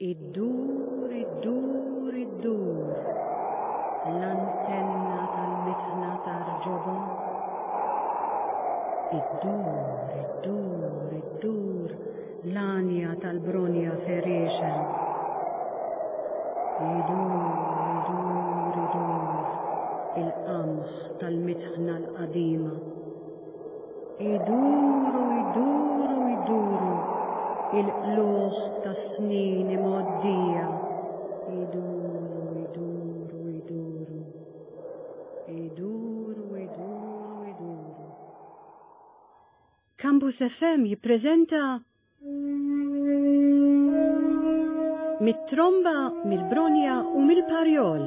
Iddur, iddur, iddur, l-antenna tal-mitħna tar-ġobon. Iddur, iddur, iddur, l-għanja tal-bronja ferixen. Idur, idur, idur, il-qamħ tal-mitħna l-qadima. Iduru, iduru, iduru, il-qlugħ tas-snin imgħoddija. Iduru, iduru, iduru. Iduru, iduru, iduru. Campus FM jippreżenta Mit-tromba, mill-bronja u mill-parjol.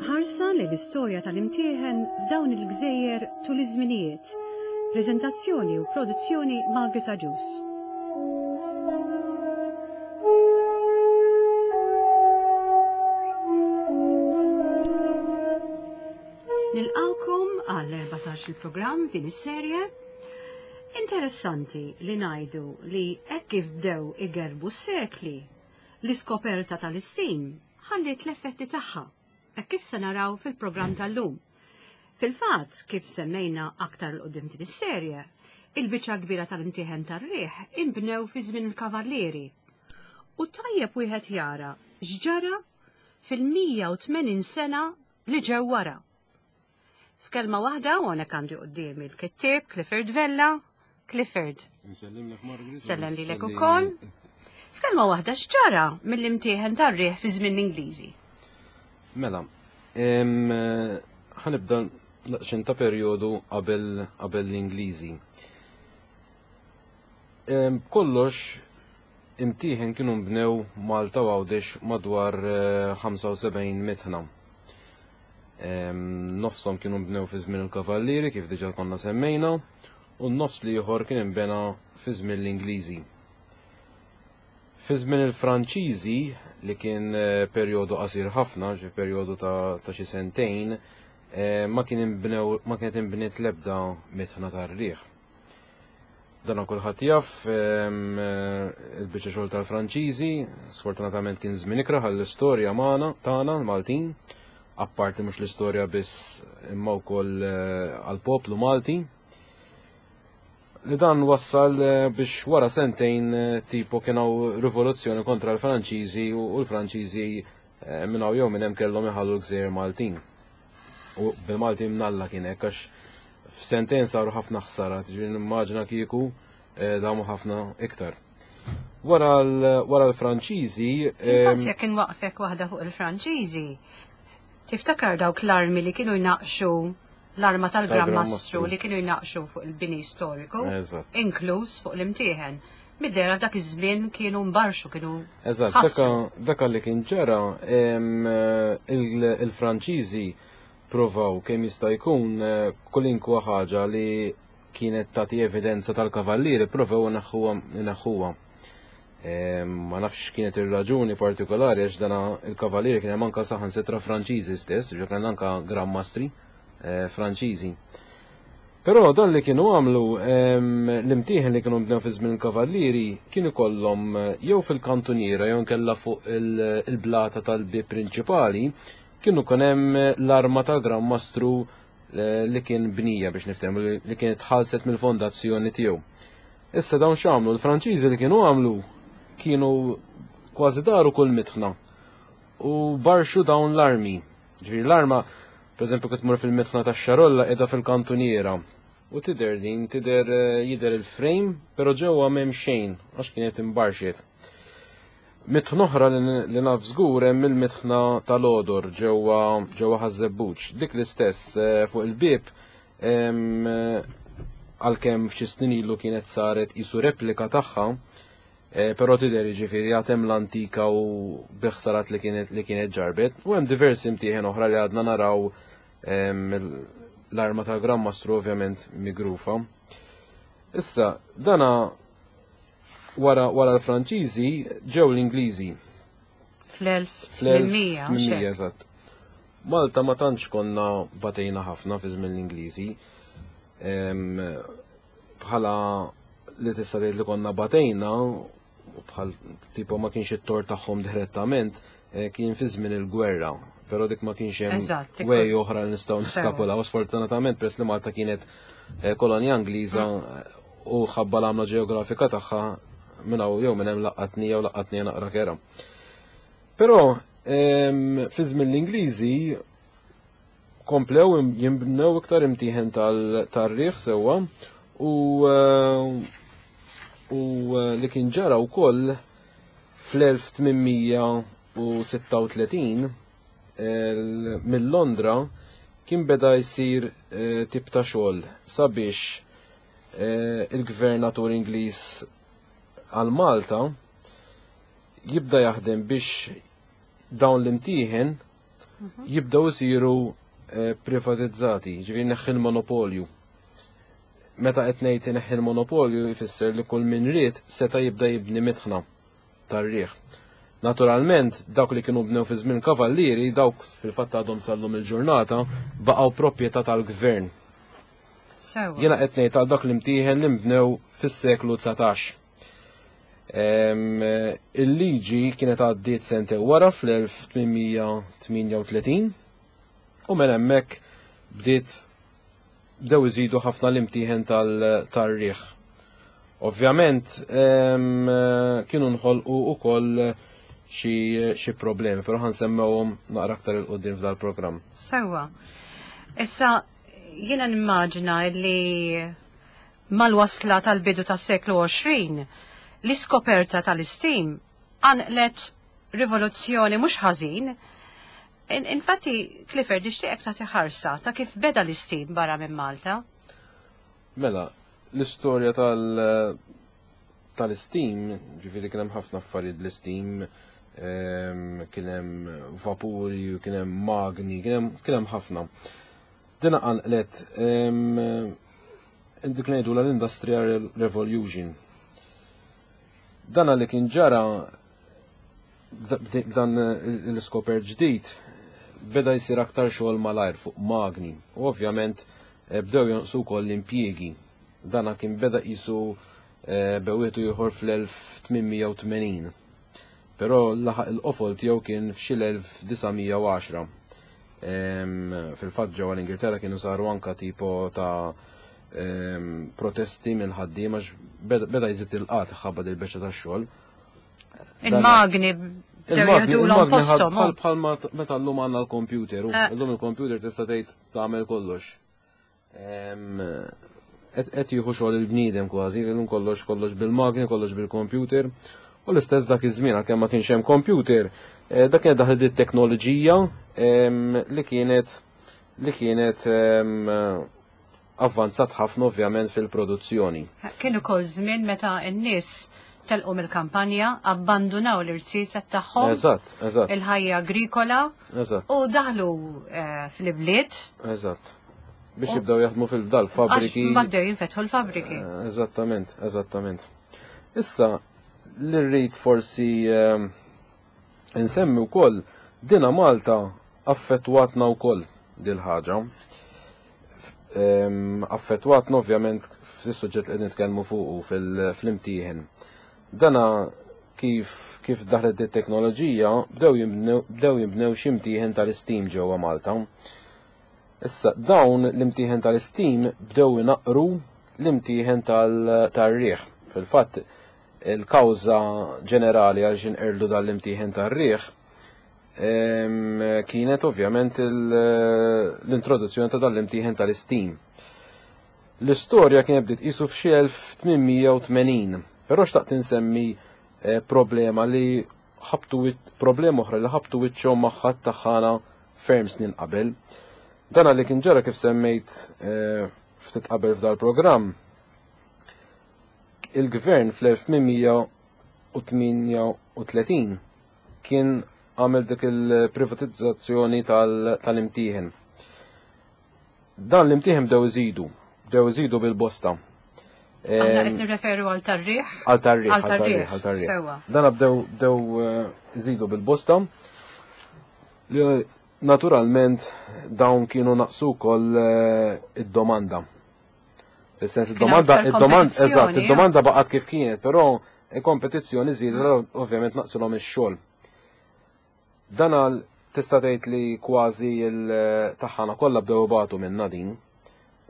Ħarsa li l-istorja tal-imtieħen f'dawn il-gżejjer tul iż-żminijiet. Preżentazzjoni u produzzjoni Margaret Agius. Nilqawkom għal 14 il-programm din is-serje. Interessanti li ngħidu li hekk kif bdew igerbu s-sekli, l-iskoperta tal-istim ħalliet l-effetti tagħha, hekk kif se naraw fil-programm tal-lum. Fil-fatt, kif semmejna aktar 'l quddiem din is-serje, il-biċċa kbira tal-imtieħen tar-riħ inbnew fi żmien il-Kavallieri. U tajjeb wieħed jara x'ġara fil-180 sena li ġew wara. F'kelma waħda, u hawnhekk għandi quddiemi l-kittieb Clifford Vella. Clifford. Nsellimlek Margaret. Sellem lilek ukoll. F'kelma waħda x'ġara mill-imtieħen tar-riħ fi żmien l-Ingliżi? Mela, ħanibda daqsxejn ta' perjodu qabel qabel l-Ingliżi. Kollox imtieħen kienu nbnew Malta u Għawdex madwar 75 eh, mitħna. Nofshom kienu nbnew fi żmien il-Kavallieri kif diġà konna semmejna, u n-nofs l-ieħor kien inbena fi żmien l-Ingliżi. Fi żmien il-Franċiżi, li kien eh, perjodu qasir ħafna, xi perjodu ta' xi sentejn, eh, ma kien inbnew ma kienet inbniet l-ebda mitħna tar-riħ. Dana kulħadd jaf, il-biċċa xogħol tal-Franċiżi, sfortunatament kien żmien ikrah għall-istorja magħna tagħna l-Maltin, apparti mhux l-istorja biss imma wkoll eh, għall-poplu Malti. Li dan wassal eh, biex wara sentejn eh, tipo kien hawn rivoluzzjoni kontra l-Franċiżi u l-Franċiżi minn hawn jew minn hemm kellhom iħallu l-gżejjer Maltin. U bil-Malti mnalla kien hekk għax f'sentejn saru ħafna ħsarat, ġifieri nimmaġina kieku eh, damu ħafna iktar. Wara l-Franċiżi. Infatti jekk inwaqfek waħda fuq il-Franċiżi, tiftakar dawk l-armi li kienu jnaqxu l-arma tal-Gran Mastru li kienu jnaqxu fuq il-bini storiku, inkluż fuq l-imtieħen. Mid-dehra f'dak iż-żmien kienu mbarxu, kienu Eżatt, daka li kien ġara il-Franċiżi provaw kemm jista' jkun eh, kulinkwa ħaġa li kienet tagħti evidenza tal-kavallieri provaw inaħħuha. Ma nafx kienet ir-raġuni partikolari għax dana il-kavallieri kien hemm anka saħansitra Franċiżi stess, ġo kien anka Gran Mastri eh, Franċiżi. Però dan li kienu għamlu l-imtieħen li kienu bnew fi żmien il-Kavallieri kien ikollhom eh, jew fil-kantuniera jew nkella fuq il-blata tal-bieb prinċipali kienu kien hemm l-arma tal-Gran Mastru eh, li kien bnija biex niftehmu li kienet tħallset mill-fondazzjoni tiegħu. Issa dawn x'għamlu l-Franċiżi li kienu għamlu kienu kważi daru kull mitħna u barxu dawn l-armi. Ġifieri l-arma, pereżempju kif tmur fil-mitħna tax-Xarolla qiegħda fil-kantuniera. U tidher din, tidher eh, jidher il-frame, però ġewwa m'hemm xejn għax kienet imbarxiet. Mitħna oħra li naf żgur hemm il-mitħna tal-odor ġewwa ġewwa Ħaż-Żebbuġ. Dik l-istess eh, fuq il-bieb eh, għalkemm f'xi snin ilu kienet saret isu replika tagħha, Eh, però tidher jiġifieri għad hemm l-antika u biħsarat li kienet li kienet ġarbet. U hemm diversi mtieħen oħra li għadna naraw l-arma tal-Gran Mastru ovvjament migrufa. Issa, dana wara wara l-Franċiżi ġew l-Ingliżi. Fl-1800. Eżatt. Malta ma tantx konna batejna ħafna fi żmien l-Ingliżi. Bħala li tista' tgħid li konna batejna bħal tipo ma kienx it-tort tagħhom direttament eh, kien fi żmien il-gwerra, però dik ma kienx hemm way oħra li nistgħu niskapulaw. Sfortunatament peress li Malta kienet eh, kolonja Ingliża mm. u ħabba l-għamla ġeografika tagħha minn hawn jew minn hemm laqatni jew laqatni naqra kera. Però fi żmien l-Ingliżi komplew jinbnew iktar imtieħen tar-riħ sewwa u eh, u eh, li kien ġara wkoll fl-1836 mill-Londra kien beda jsir eh, tip ta' xogħol sabiex il-gvernatur Ingliż għal Malta jibda jaħdem biex dawn l-imtieħen jibdew isiru eh, privatizzati, ġifieri neħħi l-monopolju. Meta qed ngħid ineħħi l-monopolju jfisser li kull min ried seta' jibda jibni mitħna tar-riħ. Naturalment, dawk li kienu bnew fi żmien kavallieri, dawk fil-fatt għadhom sallum il-ġurnata, baqgħu proprjetà tal-gvern. Jiena qed ngħid għal dak l-imtieħen li nbnew fis-seklu 19. Il-liġi kienet għaddiet sente wara fl-1838 u minn hemmhekk bdiet bdew iżidu ħafna l-imtieħen tal-riħ. Ovvjament kienu nħolqu ukoll xi problemi, però ħansemmewhom naqra aktar il qudiem f'dal-programm. Sewwa. Issa jiena nimmaġina li Mal-wasla tal-bidu tas-seklu 20, l-iskoperta tal-istim qanqlet rivoluzzjoni mhux ħażin. Infatti, Clifford, nixtieqek tagħti ħarsa ta' kif beda l-istim barra minn Malta. Mela, l-istorja tal- tal-istim, ġifieri kien hemm ħafna affarijiet bl-istim, ehm, kien hemm vapuri, kien hemm magni, kien hemm ħafna. Dina qanqlet ehm, dik ngħidu l-Industrial Revolution. Dana li kien ġara dan l-iskoper ġdid beda jsir aktar xogħol malajr fuq magni u ovvjament eh, bdew jonqsu wkoll l-impjiegi. Dana kien beda qisu eh, bewietu ieħor fl-1880. Però laħaq il-qofol tiegħu kien f'xi l-1910. Fil-fatt ġewwa l-Ingilterra kienu saru anka tipo ta' protesti minn ħaddiema beda jżid il-qat ħabba dil-beċċa tax-xogħol. Il-magni Il-magni bħal meta llum għandna l-computer, eh. illum il-computer tista' tgħid tagħmel kollox. Qed jieħu xogħol il-bniedem kważi, illum kollox kollox bil-magni, kollox bil-computer. U l-istess dak iż-żmien għalkemm ma kienx hemm computer, eh, dak kienet daħlet it-teknoloġija li kienet li kienet avvanzat ħafna ovvjament fil-produzzjoni. Kien ukoll żmien meta n-nies telqu mill-kampanja, abbandunaw l-irziezet tagħhom. Eżatt, eżatt. Il-ħajja agrikola. Eżatt. U daħlu eh, fl-ibliet. Eżatt. Biex jibdew jaħdmu fil-dal fabriki. Għax bdew jinfetħu l-fabriki. Eh, eżattament, eżattament. Issa, li rrid forsi eh, insemmi wkoll dina Malta affettwatna wkoll dil-ħaġa. Affettwatna ovvjament fis-suġġett li qed nitkellmu fuqu fil-imtieħen. Dana kif kif daħlet it-teknoloġija bdew jinbnew xi imtieħen tal-istim ġewwa Malta. Issa dawn l-imtieħen tal-istim bdew inaqqru l-imtieħen tar-riħ. Fil-fatt il-kawża ġenerali għal x'inqerdu dan l-imtieħen tar-riħ kienet ovvjament l-introduzzjoni ta' dan l-imtieħen tal-istim. L-istorja kienet bdiet qisu f'xi 1880, però xtaqt insemmi eh, problema li ħabtu problema oħra li ħabtu wiċċhom magħha taħħana ferm snin qabel. Dan li kien ġara kif semmejt eh, ftit qabel f'dal-programm. Il-gvern fl-1838 kien għamel dik il-privatizzazzjoni tal-imtieħen. Dan l-imtieħen bdew iżidu, bdew iżidu bil-bosta. Aħna qed nirreferu għal tarriħ? Għal tarriħ, għal tarriħ, għal tarriħ. Sewa. Dan bdew bdew eh, iżidu bil-bosta. Li naturalment dawn kienu naqsu wkoll eh, id-domanda. Fis-sens id-domanda, id-domanda, eżatt, id-domanda baqgħet kif kienet, però Il-kompetizzjoni żiedet ovvjament naqsilhom ix-xogħol. Dan għal tista' tgħid li kważi l-taħħana kollha bdew ibatu minnha din.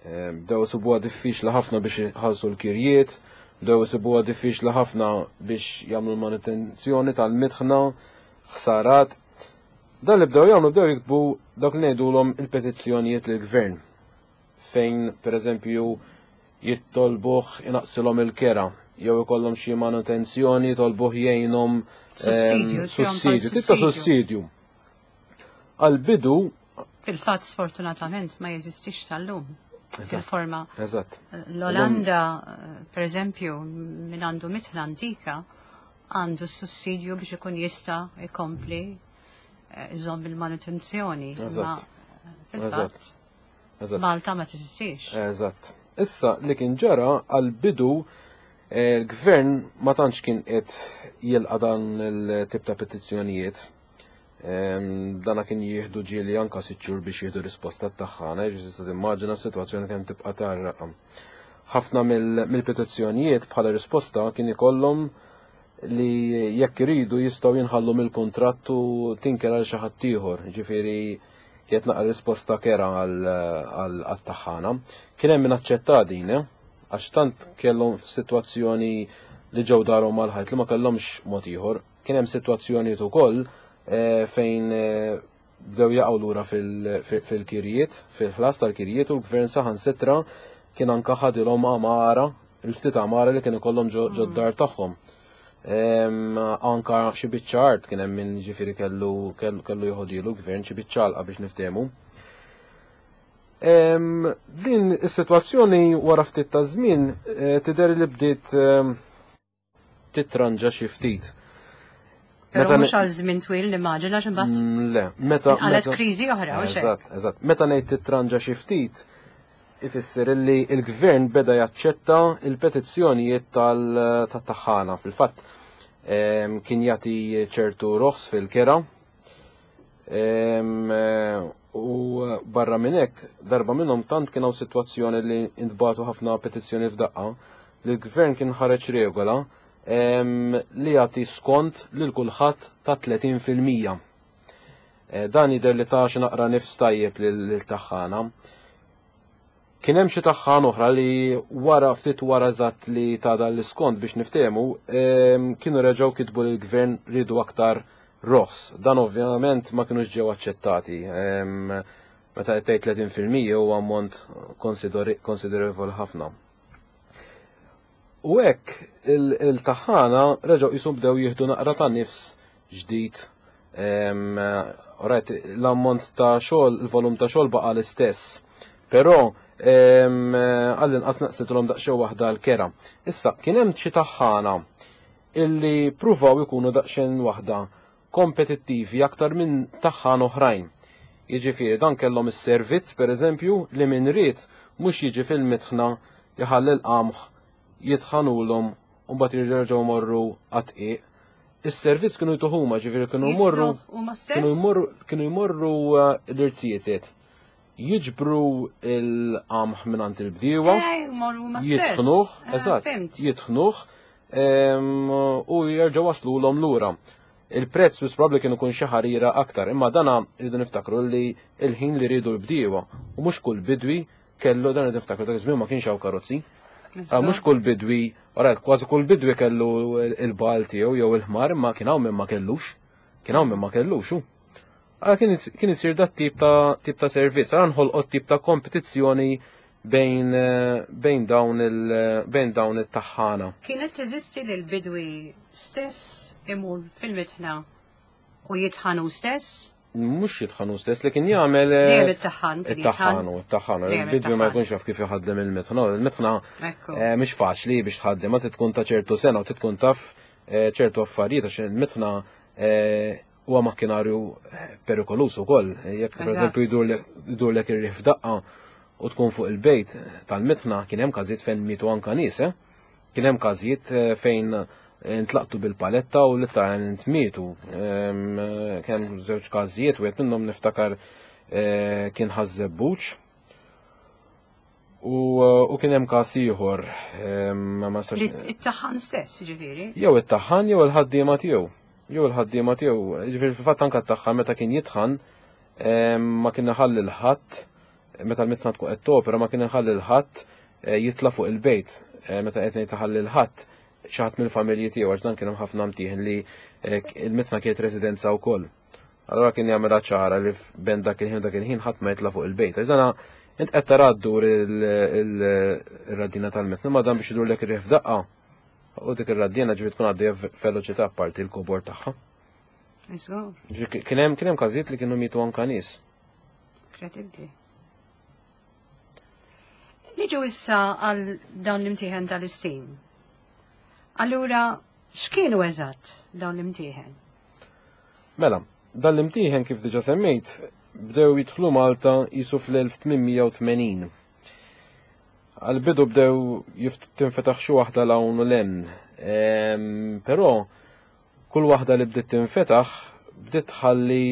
Bdew isibuha diffiċli ħafna biex iħallsu l-kirjiet, bdew isibuha diffiċli ħafna biex jagħmlu l-manutenzjoni tal-mitħna, ħsarat. Dan li bdew jagħmlu bdew jiktbu dak li ngħidulhom il-petizzjonijiet lill-gvern fejn pereżempju jittolbuh inaqsilhom il-kera jew ikollhom xi manutenzjoni jitolbuh jgħinhom Sussidju, sussidju, tip ta' sussidju. Għal-bidu Fil-fatt sfortunatament ma jeżistix sal-lum. Fil-forma. Eżatt. L-Olanda, per eżempju, min għandu mitħna antika, għandu sussidju biex ikun jista' jkompli iżomm il-manutenzjoni. Eżatt. Fil-fatt. Malta ma teżistix. Eżatt. Issa li kien ġara għal-bidu l-gvern ma tantx kien qed jilqa' dan il-tip ta' petizzjonijiet. Dana kien jieħdu ġieli anka sitt xhur biex jieħdu risposta tagħha, ġifieri tista' timmaġina s-sitwazzjoni kemm tibqa' tgħarraq. Ħafna mill-petizzjonijiet bħala risposta kien ikollhom li jekk iridu jistgħu jinħallu mill-kuntratt u tinker għal xi ħadd ieħor, ġifieri kienet naqra risposta kera għal taħħana. Kien hemm min aċċetta din, għax tant kellhom f'sitwazzjoni li ġew darhom mal-ħajt li ma kellhomx mod ieħor. Kien hemm sitwazzjonijiet ukoll fejn bdew jaqgħu lura fil-kirjiet, fil-ħlas tal-kirjiet u l-gvern saħansitra kien anka ħadilhom għamara, il-ftit għamara li kien ikollhom ġo d-dar tagħhom. Anka xi biċċa art kien hemm min ġifieri kellu joħodilu gvern xi biċċa għalqa biex niftehmu. Din is-sitwazzjoni wara ftit ta' żmien tidher li bdiet titranġa xi ftit. Però mhux għal żmien twil nimmaġina għax imbagħad. Le, meta Għalet kriżi oħra, u Eżatt. Meta ngħid titranġa xi ftit, ifisser illi il-gvern beda jaċċetta il-petizzjonijiet tat-taħħana. Fil-fatt kien jagħti ċertu roħs fil-kera. U barra minn hekk, darba minnhom tant kien hawn sitwazzjoni li intbagħtu ħafna petizzjoni f'daqqa li l-gvern kien ħareġ regola li jagħti skont lil kulħadd ta' 30%. Dan jidher li ta' xi naqra nifs tajjeb lil taħħana. Kien hemm xi taħħan oħra li wara ftit wara eżatt li ta' dan l-iskont biex niftehmu, kienu reġgħu kitbu lill gvern ridu aktar roħs. Dan ovvjament ma kinux ġew aċċettati. Meta qed tgħid 30% huwa ammont konsiderevoli ħafna. U hekk il-taħħana reġgħu qishom bdew jieħdu naqra ta' nifs ġdid. Alright, l-ammont ta' xogħol, il-volum ta' xogħol baqa' l-istess. Però għall-inqas naqsitilhom daqsxejn waħda l-kera. Issa, kien hemm xi taħħana illi pruvaw ikunu daqsxejn waħda kompetittivi aktar minn taħħan oħrajn. Jiġifieri dan kellhom is-servizz pereżempju li min ried mhux jiġi fil-mitħna jħalli l-qamħ jitħanulhom u mbagħad jirġgħu morru għat-tqiq. Is-servizz kienu jtuh huma, ġifieri kienu jmorru kienu jmorru kienu jmorru l-irziezet. Jiġbru l-qamħ mingħand il-bdiewa. Jitħnuh, eżatt, jitħnuh u jerġgħu waslulhom lura. Il-prezz wis probabbli kien ikun xi ħarira aktar, imma dana rridu niftakru li il-ħin li rridu l-bdiewa u mhux kull bidwi kellu dan rridu niftakru dak iż-żmien ma kienx hawn karozzi. Mhux kull bidwi, ora kważi kull bidwi kellu il-bagħal tiegħu jew il-ħmar, imma kien hawn min ma kellux. Kien hawn min ma kellux. Għala kien isir dat tip ta' servizz, għala nħolqot tip ta' kompetizzjoni bejn dawn it-taħħana. Kienet teżisti li l-bidwi stess imur fil-mitħna u jitħanu stess? Mhux jitħanu stess, li kien jagħmel Dejjem it-taħħan kien it-taħħanu, it-taħħanu. Il-bidwi ma jkunx jaf kif jaħdem il-mitħna. Il-mitħna mhix faċli biex tħaddem, ma tkun ta' ċertu sena u tkun taf ċertu affarijiet għax il-mitħna huwa makkinarju perikolus ukoll. Jekk pereżempju jdurlek ir-riħ f'daqqa u tkun fuq il-bejt tal-mitħna, kien hemm każijiet fejn mietu anka nies, eh? Kien hemm każijiet fejn intlaqtu bil-paletta u literalment mietu. Kien hemm żewġ każijiet, wieħed minnhom niftakar kien Ħaż-Żebbuġ. U kien hemm każ ieħor ma nistax. It-taħħan stess, ġifieri. Jew it-taħħan jew il-ħaddiema tiegħu. Jew il-ħaddiema tiegħu. Ġifieri fil-fatt anke t-taħħan meta kien jitħan ma kien iħalli l-ħadd meta l-mitna tkun qed topera ma kien iħalli l-ħadd eh, jitla' fuq il-bejt eh, meta qed ngħid iħalli l-ħadd xi ħadd mill-familji tiegħu għax dan kien hemm ħafna mtieħen li eh, il-mitna kienet residenza wkoll. Allora kien jagħmilha ċara li ben dak il-ħin dak il-ħin ħadd ma jitla' fuq il-bejt. Għax dana int qed tara ddur il-raddina tal-mitna ma dan biex idurlek ir-riħ f'daqqa. U dik ir-raddina ġifieri tkun għaddejja f'veloċità apparti l-kobor tagħha. Kien hemm kien hemm każijiet li kienu mietu anka nies. Kredibbli. Niġu issa għal dawn l-imtieħen tal-istim. Allura, x'kienu eżatt dawn l-imtieħen? Mela, dan l-imtieħen kif diġa semmejt, bdew jidħlu Malta jisu fl-1880. Għal-bidu bdew tinfetaħ xi waħda l-hawn u l-hemm. Ehm, però kull waħda li bdiet tinfetaħ bdiet tħalli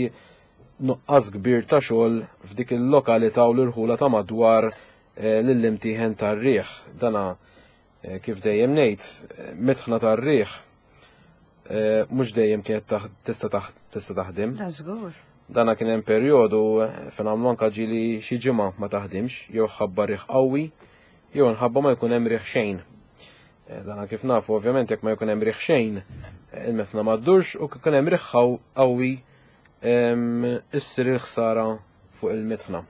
nuqqas kbir ta' xogħol f'dik il-lokalità u l-irħula ta' madwar eh, lill-imtieħen tar-riħ. Dana eh, kif dejjem ngħid, eh, mitħna tar-riħ mhux dejjem kienet tista' tista' taħdem. Da żgur. Dana kien hemm perjodu fejn għamlu anka ġieli xi ġimgħa ma taħdimx, jew ħabba riħ qawwi, jew nħabba ma jkun hemm riħ xejn. Dana kif nafu ovvjament jekk ma jkun hemm riħ xejn, il-metna ma ddurx u kif ikun hemm riħ qawwi issir il-ħsara fuq il-mitħna.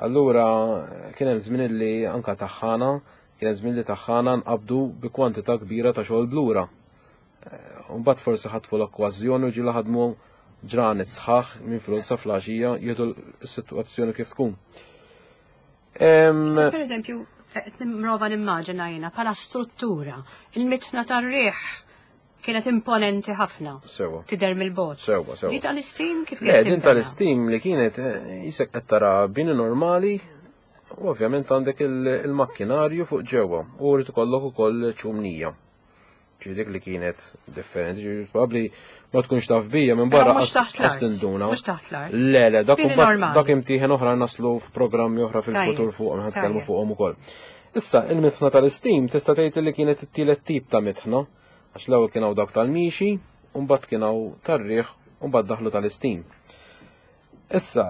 Allura kien hemm żmien li anka taħħana, kien hemm żmien li taħħana nqabdu bi kwantità kbira ta' xogħol blura. Eh, mbagħad forsi ħatfu l-okkażjoni u ġiela ħadmu ġranet sħaħ minn filgħodu sa flaxija jieħdu s-sitwazzjoni kif tkun. Per eżempju, qed nimprova nimmaġina jiena bħala struttura, il-mitħna tar-riħ kienet imponenti ħafna. Sewa. Tidher mill-bogħod. Sewa, sewa. Di tal-istim kif kienet? Le, din tal-istim li kienet eh, jisek qed tara bini normali u ovvjament għandek il-makkinarju fuq ġewwa u rrid ikollok ukoll ċumnija. Ġi dik li kienet differenti, ġi probabbli ma tkunx taf bija minn barra mhux taħt l-art. tinduna. Mhux taħt l-art. Le, le, dak dak imtieħen oħra naslu f'programmi oħra fil-futur fuqhom ħad tkellmu fuqhom ukoll. Issa, il-mitħna tal-istim tista' tgħid li kienet it-tielet tip ta' mitħna, għax l-ewwel kien hawn dawk tal-mixi, u mbagħad kien hawn tar-riħ, u mbagħad daħlu tal-istim. Issa,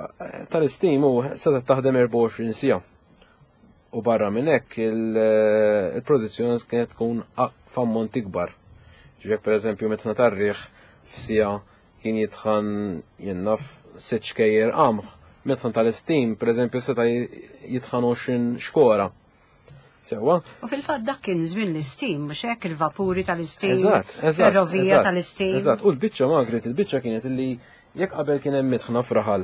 tal-istim hu setgħet taħdem 24 siegħa. U barra minn hekk il-produzzjoni kienet tkun f'ammont ikbar. Ġifieri pereżempju mitħna tar-riħ f'siegħa kien jitħan jien naf sitt xkejjer qamħ, mitħan tal-istim pereżempju seta' jitħan 20 xkora. Sewa. U fil-fatt dak kien żmien l-istim, mhux hekk il-vapuri tal-istim, eżatt, eżatt, ferrovija tal-istim. Eżatt, u l-biċċa Margaret, il-biċċa kienet illi jekk qabel kien hemm mitħna fraħal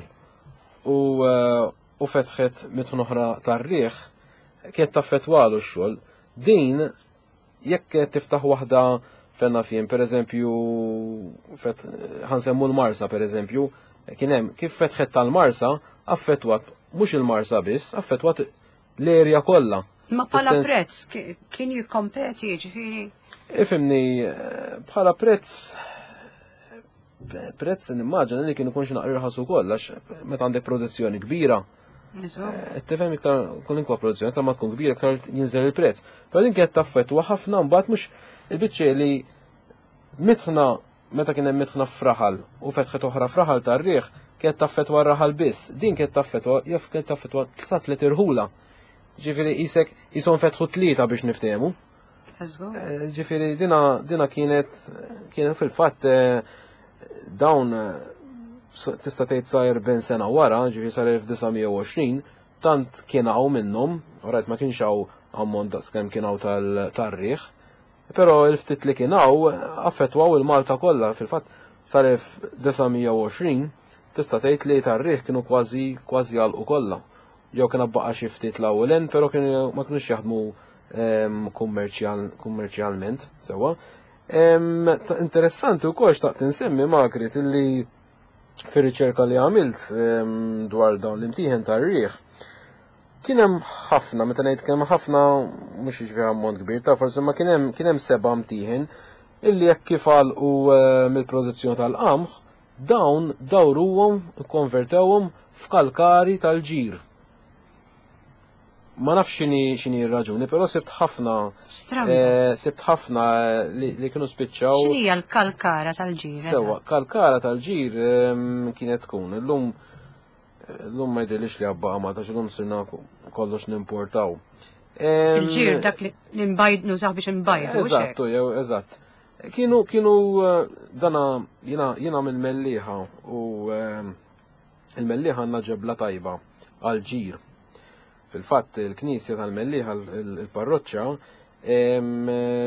u eh, u fetħet mitħna oħra tar-riħ, kienet taffetwalu x-xogħol. Din jekk kienet tiftaħ waħda fenna fien, per eżempju, ħansemmu l-Marsa, per eżempju, kien hemm kif fetħet tal-Marsa, affettwat mhux il-Marsa biss, affettwat l-erja kollha. Ma bħala prezz kien jikkompeti jiġifieri? Ifimni, bħala prezz prezz nimmaġina li kien ikun xi naqra irħas ukoll għax meta għandek produzzjoni kbira. Eh, tifhem iktar kolinkwa produzzjoni iktar ma tkun kbira iktar jinżel il-prezz. Però din kienet taffettwa ħafna mbagħad mhux il-biċċa li mitħna Meta kien hemm mitħna f'raħal u fetħet oħra f'raħal tar-riħ, kienet taffettwa r-raħal biss. Din kienet taffettwa, jaf kienet taffettwa sa tliet irħula. Ġifieri qisek qishom fetħu tlieta biex niftehmu. Eh, ġifieri dina dina kienet kienet fil-fatt eh, dawn eh, tista' tgħid sa 40 sena wara, ġifieri sa 1920, tant kien hawn minnhom, rajt ma kienx hawn ammont daqskemm kien hawn tal-riħ, Però il-ftit li kien hawn affettwaw il-Malta kollha, fil-fatt sal-1920 tista' tgħid li tar-riħ kienu kważi kważi għalqu kollha. Jew kien baqa' xi ftit l hawn u però kienu ma kinux jaħdmu ehm, kummerċjalment sewwa. Ehm, interessanti wkoll xtaqt insemmi Margaret illi fir-riċerka li għamilt ehm, dwar dawn l-imtieħen tar-riħ Kien hemm ħafna, meta ngħid kien hemm ħafna mhux jiġifieri ammont kbir ta' forsi ma kien hemm kien hemm seba' mtieħen illi jekk kif għalqu eh, mill-produzzjoni tal-qamħ, dawn dawruhom, ikkonvertewhom f'kalkari tal-ġir. Ma nafx x'inhi x'inhi r-raġuni, però sibt ħafna Stramba. Sibt ħafna li kienu spiċċaw. X'inhija l-kalkara tal-ġir? Sewwa, kalkara tal-ġir kienet tkun illum illum ma jidhirlix li għabbaqa Malta x'illum sirna kollox nimportaw. Il-ġir dak li nbajd nużaw biex nbajdu. Eżatt, jew eżatt. Kienu kienu dana jiena jiena mill-Mellieħa u il-Mellieħa għandna ġebla tajba għall-ġir. Fil-fatt il-knisja tal-Mellieħa il-parroċċa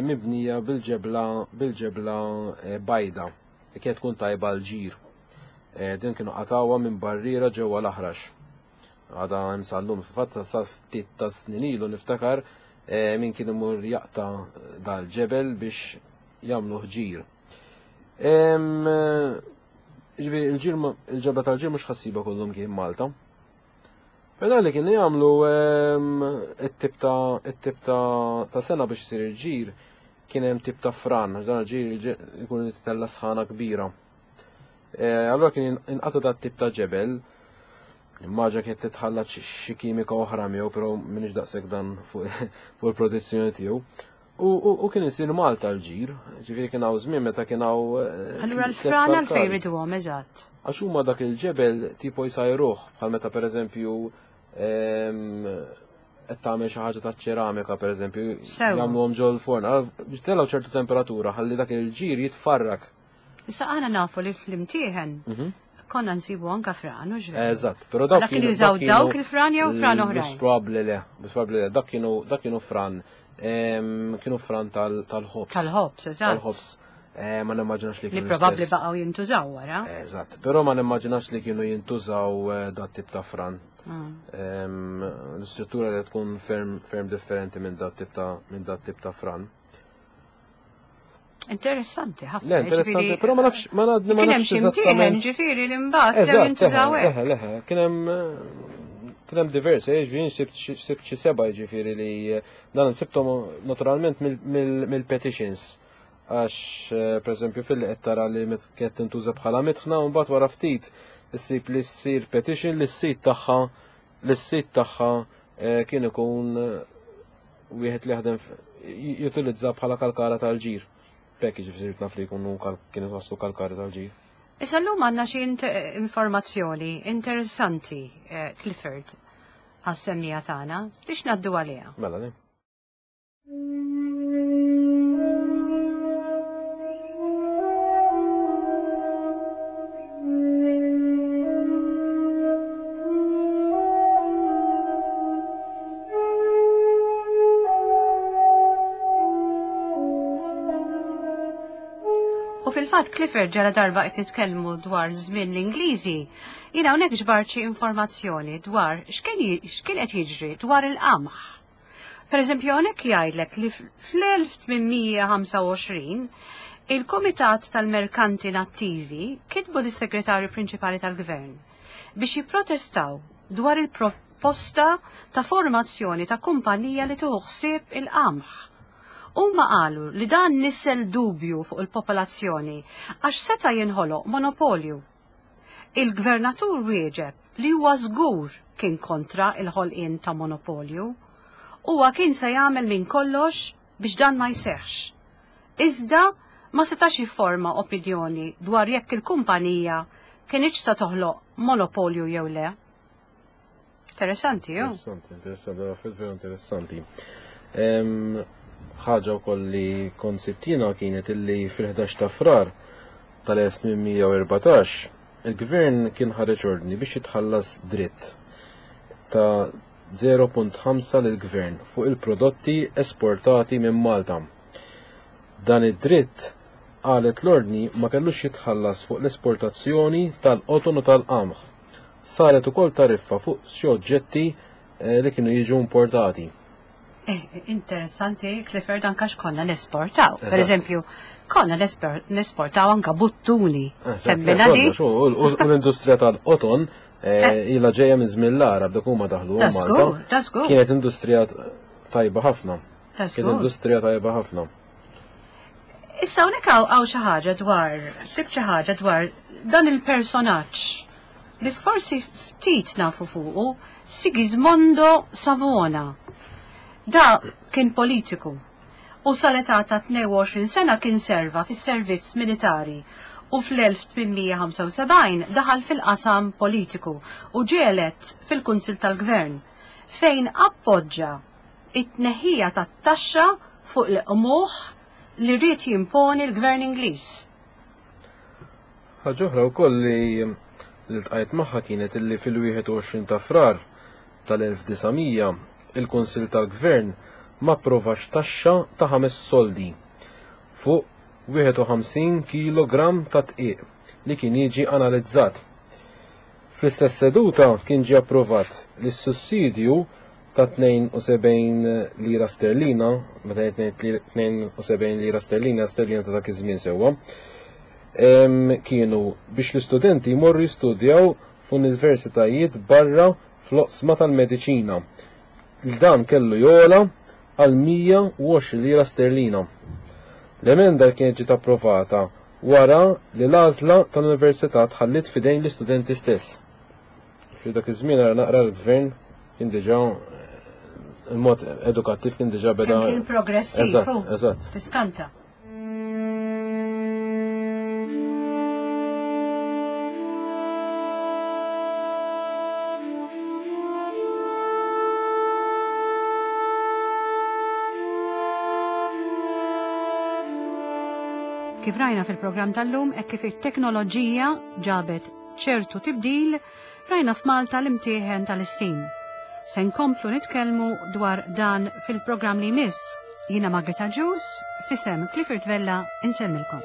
mibnija bil-ġebla bil-ġebla eh, bajda li kienet tkun tajba l-ġir. Eh, din kienu qatawha minn barriera ġewwa l-aħrax. Għada hemm sal-lum, fil-fatt sa ftit ta' snin ilu niftakar eh, min kien imur jaqta' dal-ġebel biex jagħmlu ħġir. Ġifieri il-ġebla tal-ġir mhux ħassiba kullum kien Malta. Però li kienu jagħmlu ehm, it-tip ta' it-tip ta' sena biex isir il-ġir kien hemm tip ta' fran, għax dan il-ġir ikun titella sħana kbira. Eh, allura kien inqata' dat tip ta' ġebel, immaġa kienet titħallat xi kimika oħra miegħu, però m'iniex daqshekk dan fuq il-protezzjoni tiegħu. U kien isir Malta l-ġir, ġifieri kien hawn żmien meta kien hawn. Eh, Allura l-fran għalfejn jriduhom eżatt. Għax huma dak il-ġebel tipo jsajruh bħal meta pereżempju ehm, qed tagħmel xi ħaġa taċ-ċeramika pereżempju, jagħmluhom ġol forn, biex telgħu ċertu temperatura ħalli dak il-ġir jitfarrak. Issa aħna nafu li fl-imtieħen mhm. konna nsibu anka fran, u ġveri. Eżatt, però dawk kienu jużaw dawk il-fran jew fran oħrajn. Mhux probabbli le, mhux probabbli le, dak kienu dak kienu fran kienu fran tal-ħobs. Tal-ħobs, eżatt. Tal-ħobs. Eh, ma nimmaġinax li kienu. Li probabbli baqgħu jintużaw wara. Eżatt, però ma nimmaġinax li kienu jintużaw eh, dat tip ta' fran. Mm. L-istruttura li tkun ferm, ferm differenti minn dat tip ta' minn dat tip ta' fran. Interessanti ħafna. Le, interessanti, però ma nafx, ma nafx. Kien hemm xi mtieħen ġifieri li mbagħad dew jintużaw hekk. Leħe, leħe, kien hemm kien hemm diversi, eh, ġifieri sibt xi seba' ġifieri li eh, dan sibthom naturalment mill-petitions għax eh, pereżempju fil qed tara li kienet tintuża bħala mitħna u mbagħad wara ftit issib li ssir petition li s-sit tagħha li s-sit tagħha kien ikun wieħed li jaħdem jutilizza bħala kalkara tal-ġir. B'hekk jiġifieri naf li jkunu kienu waslu kalkari tal-ġir. Issa llum għandna xi informazzjoni interessanti, eh, Clifford, għas-semmija tagħna, biex ngħaddu għaliha. Mela, le. U fil-fatt Clifford ġara darba qed nitkellmu dwar żmien l-Ingliżi, jiena hawnhekk ġbart xi informazzjoni dwar x'kien qed jiġri dwar il-qamħ. Per eżempju hawnhekk jgħidlek li fl-1825 il-Kumitat tal-Merkanti Nattivi kitbu lis-Segretarju Prinċipali tal-Gvern biex jipprotestaw dwar il-proposta ta' formazzjoni ta' kumpanija li tieħu ħsieb il-qamħ. Huma qalu li dan nissel dubju fuq il-popolazzjoni għax seta' jinħoloq monopolju. Il-Gvernatur wieġeb li huwa żgur kien kontra l-ħolqien ta' monopolju. Huwa kien se jagħmel minn kollox biex dan ma jseħħx. Iżda ma setax jifforma opinjoni dwar jekk il-kumpanija kinitx se toħloq monopolju jew le. Interessanti, ju? Interessanti, interessanti, affarijiet vera interessanti. Ħaġa wkoll li kont sibtina kienet illi fil-11 ta' Frar tal-1814 il-gvern kien ħareġ ordni biex jitħallas dritt ta' 0.5 lill-gvern fuq il-prodotti esportati minn Malta. Dan id-dritt, qalet l-ordni, ma kellux jitħallas fuq l-esportazzjoni tal-qoton u tal-qamħ. Saret ukoll tariffa fuq xi oġġetti eh, li kienu jiġu importati. Eh, interessanti, Clifford, anka x'konna nesportaw. Per eżempju, konna nesportaw anka buttuni. U l-industrija tal-qoton eh, ilha ġejja minn żmien l-Arab dak huma daħlu Malta. Kienet industrija tajba ħafna. Kienet industrija tajba ħafna. Issa hawnhekk hawn xi ħaġa dwar, sib xi ħaġa dwar dan il-personaġġ li forsi ftit nafu fuqu. Sigismondo Savona. Da kien politiku u sal-età ta' 22 sena kien serva fis-servizz militari u fl-1875 daħal fil-qasam politiku u ġie elett fil-Kunsill tal-Gvern fejn appoġġa it-tneħħija tat-taxxa fuq il-qmuħ li ried jimponi l-Gvern Ingliż. Ħaġa oħra wkoll li ltqajt magħha kienet illi fil-21 ta' Frar tal-1900 il-Kunsill tal-Gvern ma approvax taxxa ta' ħames soldi fuq 51 kilogramm ta' dqiq li kien jiġi analizzat. Fl-istess seduta kien ġie approvat li s-sussidju ta' 72 lira sterlina, meta ngħid 72 lira sterlina, sterlina ta' dak iż-żmien sewwa, kienu biex l-istudenti jmorru jistudjaw f'universitajiet barra fl-oqsma tal-mediċina. Dan kellu jogħla għal 120 lira sterlina. L-emenda kienet ġiet approvata wara li l-għażla tal-università tħalliet f'idejn l-istudenti stess. Fi dak iż-żmien ara naqra l-gvern kien diġà il-mod edukattiv kien diġà beda. Kien progressiv. Eżatt, eżatt. Tiskanta. Kif rajna fil-programm tal-lum, hekk kif it-teknoloġija ġabet ċertu tibdil, rajna f'Malta l-imtieħen tal-istim. Se nkomplu nitkellmu dwar dan fil-programm li jmiss. Jiena Margaret Agius, f'isem Clifford Vella, insellmilkom.